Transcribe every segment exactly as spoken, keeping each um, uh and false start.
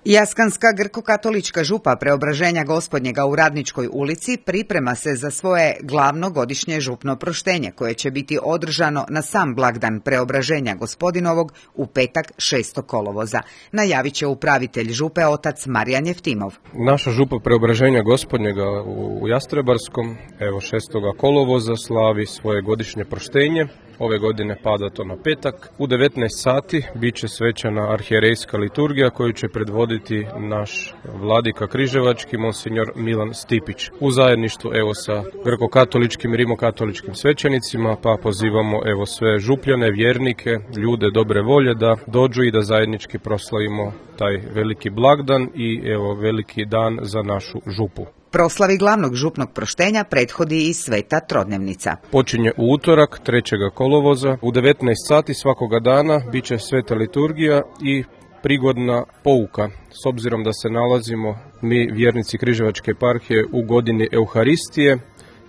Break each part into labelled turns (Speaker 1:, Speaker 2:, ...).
Speaker 1: Jaskanska grko-katolička župa Preobraženja Gospodnjega u Radničkoj ulici priprema se za svoje glavno godišnje župno proštenje, koje će biti održano na sam blagdan Preobraženja Gospodinovog u petak šestog kolovoza. Najavit će upravitelj župe otac Marijan Jeftimov.
Speaker 2: Naša župa Preobraženja Gospodnjega u Jastrebarskom, evo šestog kolovoza, slavi svoje godišnje proštenje. Ove godine pada to na petak. U devetnaest sati bit će svečana arhijerejska liturgija koju će predvoditi naš vladika križevački, monsinjor Milan Stipić. U zajedništvu evo sa grko-katoličkim i rimokatoličkim svećenicima, pa pozivamo evo sve župljane, vjernike, ljude dobre volje da dođu i da zajednički proslavimo taj veliki blagdan i evo veliki dan za našu župu.
Speaker 1: Proslavi glavnog župnog proštenja prethodi i sveta trodnevnica.
Speaker 2: Počinje u utorak trećeg kolovoza. U devetnaest sati svakoga dana bit će sveta liturgija i prigodna pouka. S obzirom da se nalazimo mi vjernici Križevačke eparhije u godini Euharistije,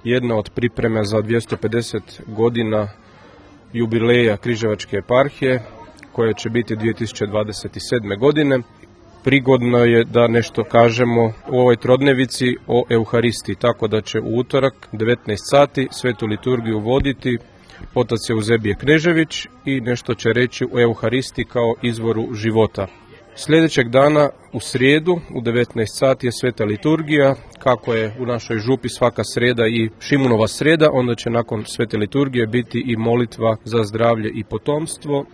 Speaker 2: jedna od pripreme za dvjesto pedeset godina jubileja Križevačke eparhije, koja će biti dvije tisuće dvadeset sedme. godine. Prigodno je da nešto kažemo u ovoj trodnevici o Euharistiji, tako da će u utorak devetnaest sati svetu liturgiju voditi otac Euzebije Knežević i nešto će reći o Euharistiji kao izvoru života. Sljedećeg dana u srijedu u devetnaest sati je sveta liturgija, kako je u našoj župi svaka srijeda i Šimunova srijeda, onda će nakon svete liturgije biti i molitva za zdravlje i potomstvo.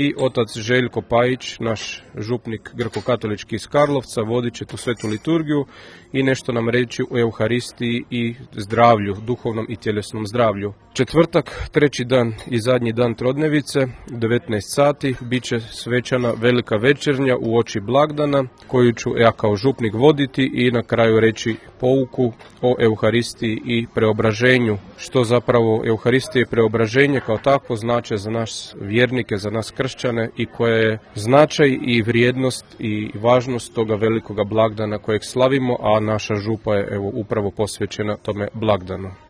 Speaker 2: I otac Željko Pajić, naš župnik grko-katolički iz Karlovca, vodit će tu svetu liturgiju i nešto nam reći o Euharistiji i zdravlju, duhovnom i tjelesnom zdravlju. Četvrtak, treći dan i zadnji dan trodnevice, u devetnaest sati, bit će svečana velika večernja u oči blagdana, koju ću ja kao župnik voditi i na kraju reći pouku o Euharistiji i preobraženju, što zapravo Euharistije i preobraženje kao takvo znače za nas vjernike, za nas kršćane i koje je značaj i vrijednost i važnost toga velikoga blagdana kojeg slavimo, a naša župa je evo upravo posvećena tome blagdanu.